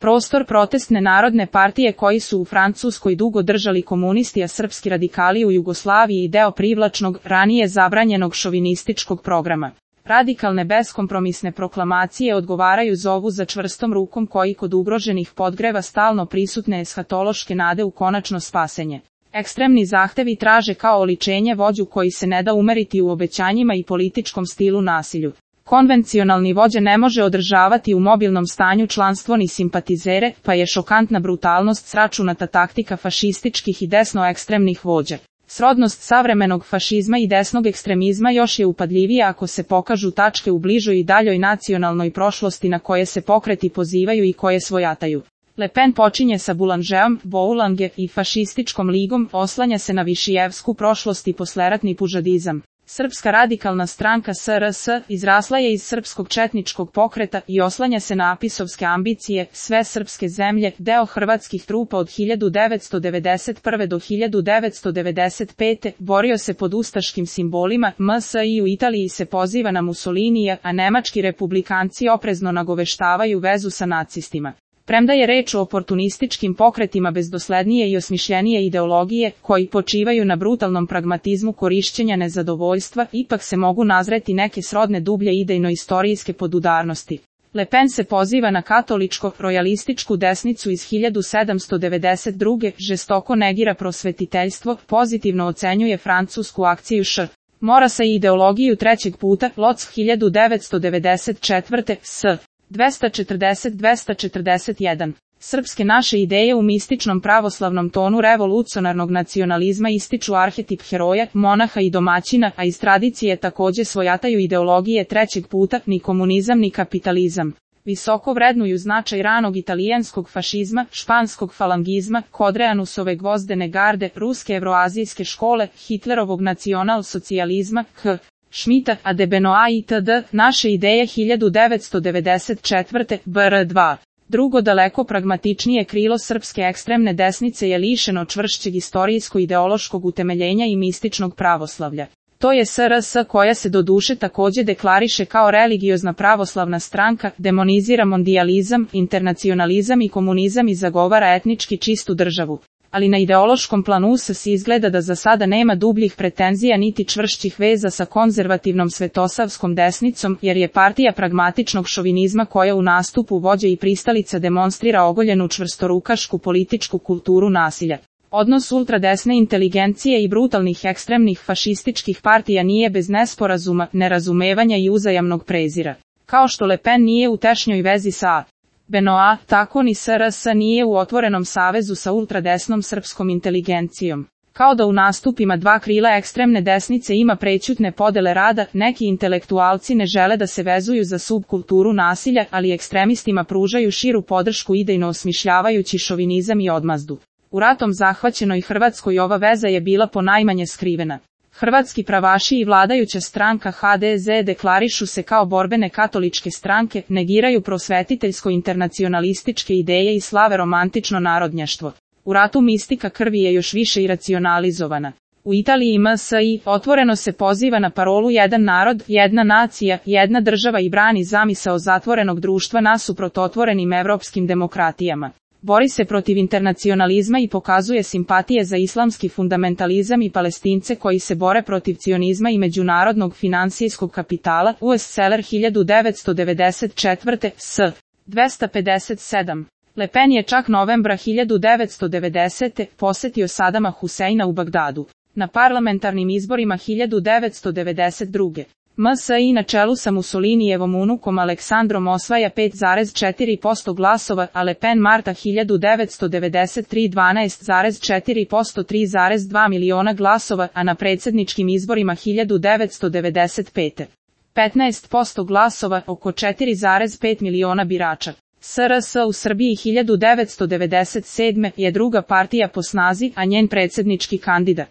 prostor protestne narodne partije koji su u Francuskoj dugo držali komunisti, a srpski radikali u Jugoslaviji i deo privlačnog, ranije zabranjenog šovinističkog programa. Radikalne beskompromisne proklamacije odgovaraju zovu za čvrstom rukom koji kod ugroženih podgreva stalno prisutne eshatološke nade u konačno spasenje. Ekstremni zahtevi traže kao oličenje vođu koji se ne da umeriti u obećanjima i političkom stilu nasilju. Konvencionalni vođa ne može održavati u mobilnom stanju članstvo ni simpatizere, pa je šokantna brutalnost sračunata taktika fašističkih i desno-ekstremnih vođa. Srodnost savremenog fašizma i desnog ekstremizma još je upadljivija ako se pokažu tačke u bližoj i daljoj nacionalnoj prošlosti na koje se pokreti pozivaju i koje svojataju. Le Pen počinje sa Boulangeom, Boulange i fašističkom ligom, oslanja se na višijevsku prošlost i posleratni pužadizam. Srpska radikalna stranka SRS izrasla je iz srpskog četničkog pokreta i oslanja se na apisovske ambicije, sve srpske zemlje, deo hrvatskih trupa od 1991. do 1995. borio se pod ustaškim simbolima, MSI u Italiji se poziva na Mussolinija, a nemački republikanci oprezno nagoveštavaju vezu sa nacistima. Premda je reč o oportunističkim pokretima bez doslednije i osmišljenije ideologije, koji počivaju na brutalnom pragmatizmu korišćenja nezadovoljstva, ipak se mogu nazreti neke srodne dublje idejno-istorijske podudarnosti. Le Pen se poziva na katoličko-rojalističku desnicu iz 1792. žestoko negira prosvetiteljstvo, pozitivno ocenjuje francusku akciju Š. Morasa i ideologiju trećeg puta, Loc 1994. s. 240-241. Srpske naše ideje u mističnom pravoslavnom tonu revolucionarnog nacionalizma ističu arhetip heroja, monaha i domaćina, a iz tradicije takođe svojataju ideologije trećeg puta, ni komunizam ni kapitalizam. Visoko vrednuju značaj ranog italijanskog fašizma, španskog falangizma, Kodreanusove gvozdene garde, ruske evroazijske škole, Hitlerovog nacional-socijalizma, Schmidta, a de Benoit itd. Naše ideje 1994. br. 2. Drugo daleko pragmatičnije krilo srpske ekstremne desnice je lišeno čvršćeg istorijsko-ideološkog utemeljenja i mističnog pravoslavlja. To je SRS koja se doduše takođe deklariše kao religiozna pravoslavna stranka, demonizira mondijalizam, internacionalizam i komunizam i zagovara etnički čistu državu. Ali na ideološkom planu se izgleda da za sada nema dubljih pretenzija niti čvršćih veza sa konzervativnom svetosavskom desnicom, jer je partija pragmatičnog šovinizma koja u nastupu vođe i pristalica demonstrira ogoljenu čvrstorukašku političku kulturu nasilja. Odnos ultradesne inteligencije i brutalnih ekstremnih fašističkih partija nije bez nesporazuma, nerazumevanja i uzajamnog prezira. Kao što Le Pen nije u tešnjoj vezi sa Benoit, tako ni SRS nije u otvorenom savezu sa ultradesnom srpskom inteligencijom. Kao da u nastupima dva krila ekstremne desnice ima prećutne podele rada, neki intelektualci ne žele da se vezuju za subkulturu nasilja, ali ekstremistima pružaju širu podršku idejno osmišljavajući šovinizam i odmazdu. U ratom zahvaćenoj Hrvatskoj ova veza je bila ponajmanje skrivena. Hrvatski pravaši i vladajuća stranka HDZ deklarišu se kao borbene katoličke stranke, negiraju prosvetiteljsko-internacionalističke ideje i slave romantično narodnjaštvo. U ratu mistika krvi je još više iracionalizovana. U Italiji MSI otvoreno se poziva na parolu jedan narod, jedna nacija, jedna država i brani zamisao zatvorenog društva nasuprot otvorenim evropskim demokratijama. Bori se protiv internacionalizma i pokazuje simpatije za islamski fundamentalizam i Palestince koji se bore protiv cionizma i međunarodnog finansijskog kapitala. US Seller 1994. s. 257. Le Pen je čak novembra 1990. posetio Sadama Huseina u Bagdadu. Na parlamentarnim izborima 1992. MSI na čelu sa Mussolinijevom unukom Aleksandrom osvaja 5,4% glasova, a Le Pen marta 1993 12,4% 3,2 miliona glasova, a na predsjedničkim izborima 1995. 15% glasova, oko 4,5 miliona birača. SRS u Srbiji 1997. je druga partija po snazi, a njen predsjednički kandidat